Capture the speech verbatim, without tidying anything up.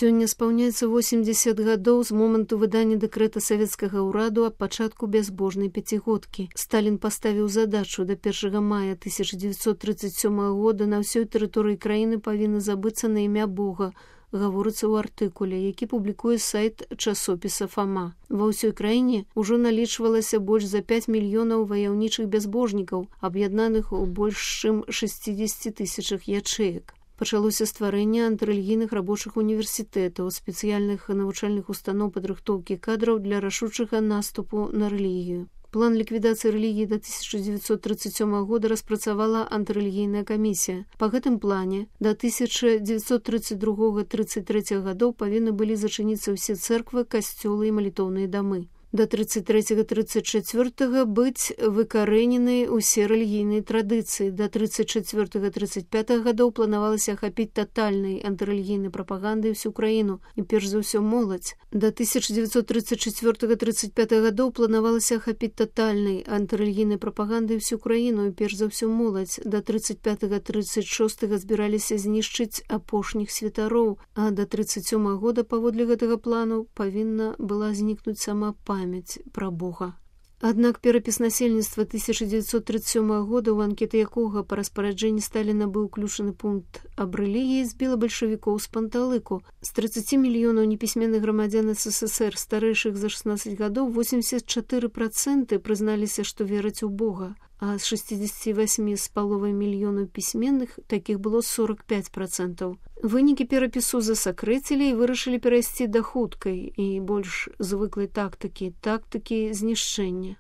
Сёння спаўняецца восемьдесят гадоў з моманту выдання дэкрэта савецкага ўраду аб пачатку бязбожнай пяцігодкі. Сталін паставіў задачу да першага мая тысяча дзевяцьсот тридцать сёмага года на ўсёй тэрыторыі краіны павінна забыцца на імя Бога, гаворыцца ў артыкуле, які публікуе сайт часопіса «Фама». Ва ўсёй краіне ўжо налічвалася больш за пяць мільёнаў ваяўнічых бязбожнікаў, аб'яднаных у больш чым шестидесяти тысячах ячэек. Пачалося стварэнне антырэлігійных рабочых універсітэтаў, спецыяльных навучальных устаноў падрыхтоўкі кадраў для рашучага наступу на рэлігію. План ліквідацыі рэлігіі да тысяча дзевяцьсот тридцать сёмага года распрацавала антырэлігійная камісія. Па гэтым плане да тысяча дзевяцьсот тридцать другога — тридцать трэцяга гадоў павінны былі зачыніцца ўсе цэрквы, касцёлы і малітоўныя дамы. Да тридцать трэцяга — тридцать чацвёртага быць выкарэнены ўсе рэлігійныя традыцыі. Да тридцать чацвёртага — тридцать пятага гадоў планавалася ахапіць татальнай антырэлігійнай прапагандай всю краіну і перш за ўсё моладзь. Да тысяча дзевяцьсот тридцать чацвёртага — тридцать пятага гадоў планавалася ахапіць татальнай антырэлігійнай прапагандай всю краіну і перш за ўсё моладзь. Да тридцать пятага — тридцать шостага збіраліся знішчыць апошніх святароў, а да тридцать сёмага года паводле гэтага плану павінна была знікнуць сама памяць пра Бога. Аднак перапіс насельніцтва тысяча дзевяцьсот тридцать сёмага года, у анкеты якога па распараджэнні Сталіна быў уключаны пункт аб рэлігіі, збіла бальшавікоў з панталыку. З тридцати мільёнаў непісьменных грамадзян СССР старэйшых за шестнадцать гадоў восемьдесят четыре процента прызналіся, што вераць у Бога, а з шестидесяти восьми з паловай мільёнаў пісьменных такіх было сорок пять процентаў. Вынікі перапісу засакрэцілі і вырашылі перайсці да хуткай і больш звыклай тактыкі, тактыкі знішчэння.